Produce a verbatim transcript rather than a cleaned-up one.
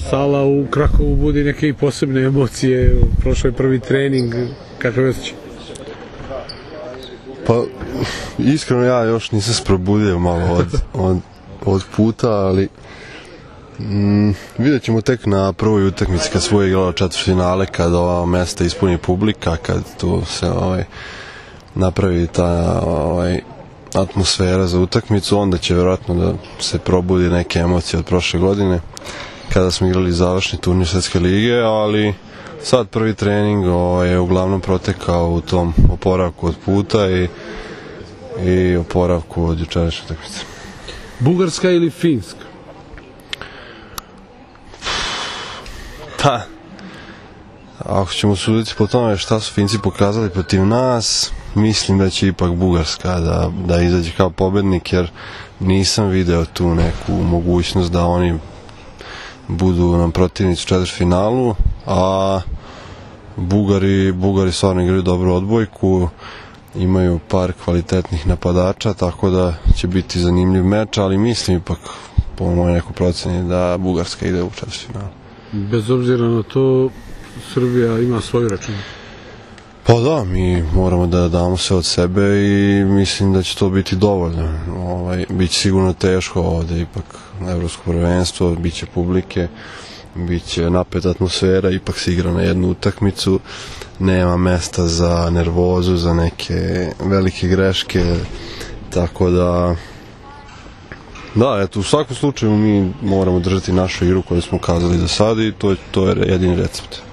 Sala u Krakovu budi neke i posebne emocije, prošao je prvi trening, kakav je osjećaj? Pa, iskreno ja još nisam se probudio malo od, od, od puta, ali mm, vidjet ćemo tek na prvoj utakmici kad svoje igralo četvrtfinale, kad ova mesta ispuni publika, kad tu se ovaj, napravi ta ovaj, atmosfera za utakmicu, onda će vjerojatno da se probudi neke emocije od prošle godine kada smo igrali završni turnir Svetske lige, ali sad prvi trening ovaj, je uglavnom protekao u tom oporavku od puta i, i oporavku od jučerašnje utakmice. Bugarska ili Finska? Pa, ako ćemo suditi po tome šta su Finci pokazali protiv nas, mislim da će ipak Bugarska da, da izađe kao pobednik, jer nisam video tu neku mogućnost da oni budu nam protivnici u četvrtfinalu, a Bugari, Bugari stvarno igraju dobru odbojku, imaju par kvalitetnih napadača, tako da će biti zanimljiv meč, ali mislim ipak po mojoj nekoj proceni da Bugarska ide u četvrtfinalu. Bez obzira na to, Srbija ima svoju račun. Pa da, mi moramo da damo sve od sebe i mislim da će to biti dovoljno. Ovaj, biće sigurno teško ovde, ipak evropsko prvenstvo, bit će publike, bit će napeta atmosfera, ipak se igra na jednu utakmicu, nema mesta za nervozu, za neke velike greške, tako da da, eto, u svakom slučaju mi moramo držati našu igru koju smo kazali do sada i to, to je jedini recept.